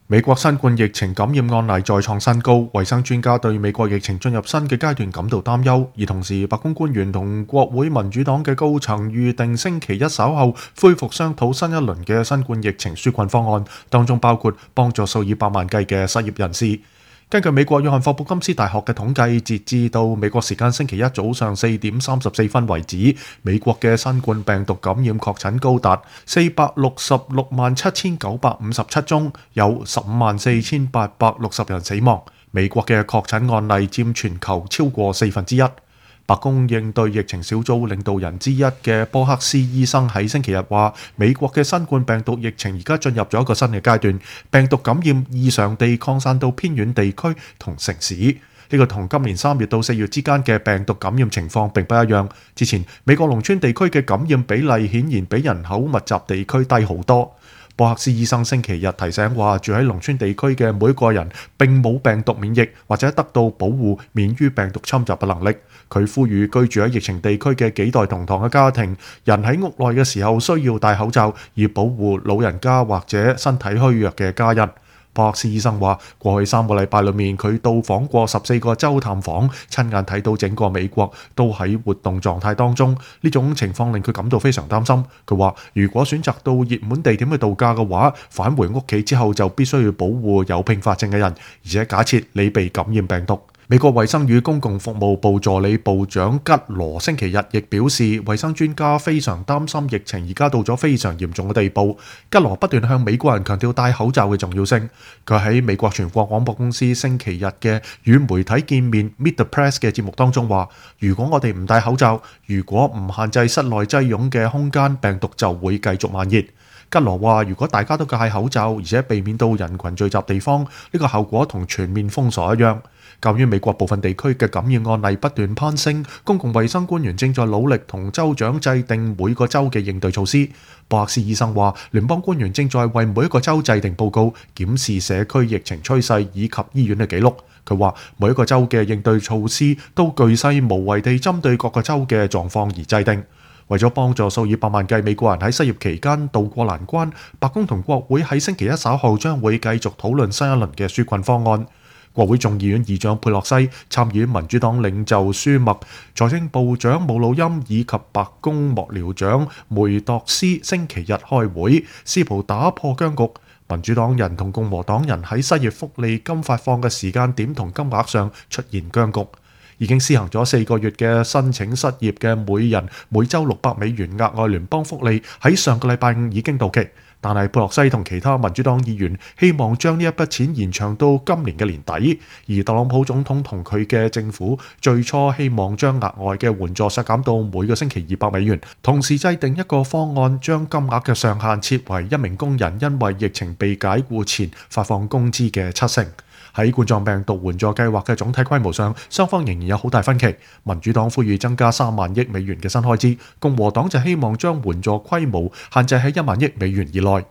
美國新冠疫情感染案例再創新高，衛生專家對美國疫情進入新嘅階段感到擔憂，而同時白宮官員同國會民主黨嘅高層預定星期一稍後恢復商討新一輪嘅新冠疫情紓困方案，當中包括幫助數以百萬計嘅失業人士。根據美國約翰霍普金斯大學嘅統計，截至到美國時間星期一早上4:34為止，美國嘅新冠病毒感染確診高達4667957宗，有154,860人死亡。美國嘅確診案例佔全球超過1/4。白宮應對疫情小組領導人之一嘅波克斯醫生喺星期日話，美國嘅新冠病毒疫情而家進入咗一個新嘅階段，病毒感染異常地擴散到偏遠地區同城市。呢個同今年3月到4月之間嘅病毒感染情況並不一樣。之前美國農村地區嘅感染比例顯然比人口密集地區低好多。波克斯醫生星期日提醒話，住喺農村地區嘅每個人並冇病毒免疫或者得到保護免於病毒侵襲嘅能力。佢呼籲居住喺疫情地區嘅幾代同堂嘅家庭，人喺屋內嘅時候需要戴口罩，以保護老人家或者身體虛弱嘅家人。波克斯醫生話，過去3個禮拜裏面，佢到訪過14個州探訪，親眼睇到整個美國都喺活動狀態當中。呢種情況令佢感到非常擔心。佢話，如果選擇到熱門地點去度假嘅話，返回屋企之後就必須要保護有併發症嘅人，而且假設你被感染病毒。美國衛生與公共服務部助理部長吉羅星期日亦表示，衛生專家非常擔心疫情而家到咗非常嚴重嘅地步。吉羅不斷向美國人強調戴口罩嘅重要性。佢喺美國全國廣播公司星期日嘅與媒體見面 Meet the Press 嘅節目當中話，如果我哋唔戴口罩，如果唔限制室內擠擁嘅空間，病毒就會繼續蔓延。吉羅話，如果大家都戴口罩，而且避免到人群聚集地方，呢個效果同全面封鎖一樣。鑑於美國部分地區嘅感染案例不斷攀升，公共衛生官員正在努力同州長制定每個州嘅應對措施。博克斯醫生話，聯邦官員正在為每一個州制定報告，檢視社區疫情趨勢以及醫院嘅記錄。佢話，每一個州嘅應對措施都巨細無遺地針對各個州嘅狀況而制定。為咗幫助數以百萬計美國人喺失業期間渡過難關，白宮同國會喺星期一稍後將會繼續討論新一輪嘅紓困方案。國會眾議院議長佩洛西、參議院民主黨領袖舒默、財政部長姆努欽以及白宮幕僚長梅鐸斯星期日開會，試圖打破僵局。民主黨人同共和黨人喺失業福利金發放嘅時間點同金額上出現僵局。已經施行咗4個月嘅申請失業嘅每人每週$600額外聯邦福利喺上個禮拜5已經到期，但係佩洛西同其他民主黨議員希望將呢一筆錢延長到今年嘅年底，而特朗普總統同佢嘅政府最初希望將額外嘅援助削減到每個星期$200，同時制定一個方案將金額嘅上限設為一名工人因為疫情被解僱前發放工資嘅70%。喺冠狀病毒援助計劃嘅總體規模上，雙方仍然有好大分歧。民主黨呼籲增加3萬億美元嘅新開支，共和黨就希望將援助規模限制喺1萬億美元以內。